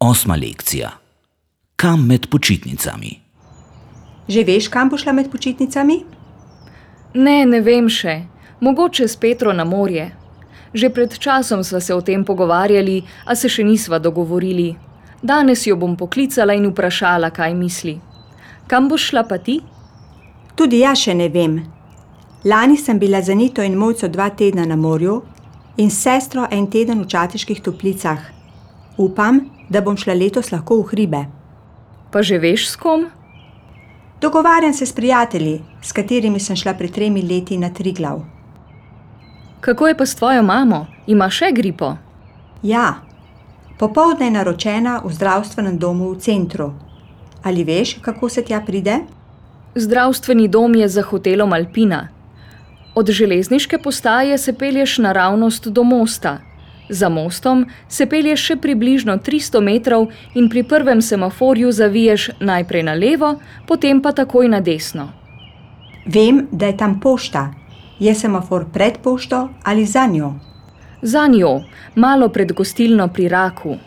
Osma lekcija. Kam med počitnicami? Že veš, kam bo šla med počitnicami? Ne vem še. Mogoče s Petro na morje. Že pred časom sva se o tem pogovarjali, a se še nisva dogovorili. Danes jo bom poklicala in vprašala, kaj misli. Kam boš šla pa ti? Tudi jaz še ne vem. Lani sem bila z Anito in Mojco 2 tedna na morju in s sestro 1 teden v Čateških Toplicah. Upam, da bom šla letos lahko v hribe. Pa že veš s kom? Dogovarjam se s prijatelji, s katerimi sem šla pred 3 leti na Triglav. Kako je pa s tvojo mamo? Ima še gripo? Ja, popoldne je naročena v zdravstvenem domu v centru. Ali veš, kako se tja pride? Zdravstveni dom je za hotelom Alpina. Od železniške postaje se pelješ naravnost do mosta. Za mostom se pelješ še približno 300 metrov in pri prvem semaforju zaviješ najprej na levo, potem pa takoj na desno. Vem, da je tam pošta. Je semafor pred pošto ali za njo? Za njo, malo pred gostilno pri Raku.